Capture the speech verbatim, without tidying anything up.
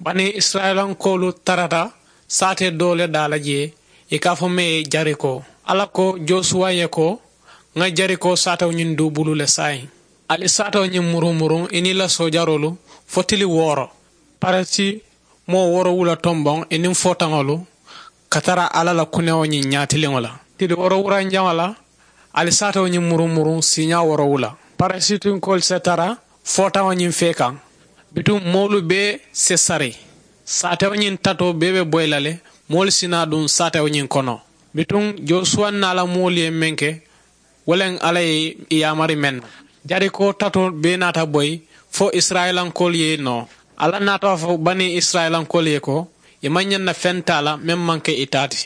Banii isirayilankoolu tarata saatee doo le daa la jee, ì ka a fo mee ye jerikoo. Alla ko josuwa ye ko, ŋa jerikoo saatewo ñiŋ duubulu le saayiŋ. Ali saatewo ñiŋ murumuruŋ i niŋ i la soojaroolu fo tili wooro. Parisi moo woorowula tomboŋ i niŋ footaŋolu ka tara alla la kunewo ñiŋ ñaatiliŋo la. Tili woorowuranjaŋo la ali saatewo ñiŋ murumuruŋ siiñaa woorowula. Parisitinkoolu se tara footaŋo ñiŋ fee kaŋ. Bituŋ moolu bee se sari. Saatewo ñiŋ tatoo bee be boyi la le. Moolu si naa duŋ saatewo ñiŋ kono. Bituŋ josuwa naa la moolu ye meŋ ke, wo le alla ye i yaamari meŋ na. Jerikoo tatoo bee naata boyi fo isirayilankoolu ye noo. Alla naata a fo banii isirayilankoolu ye ko, i maŋ ñaŋ na feŋ taa la meŋ maŋ ke i taa ti.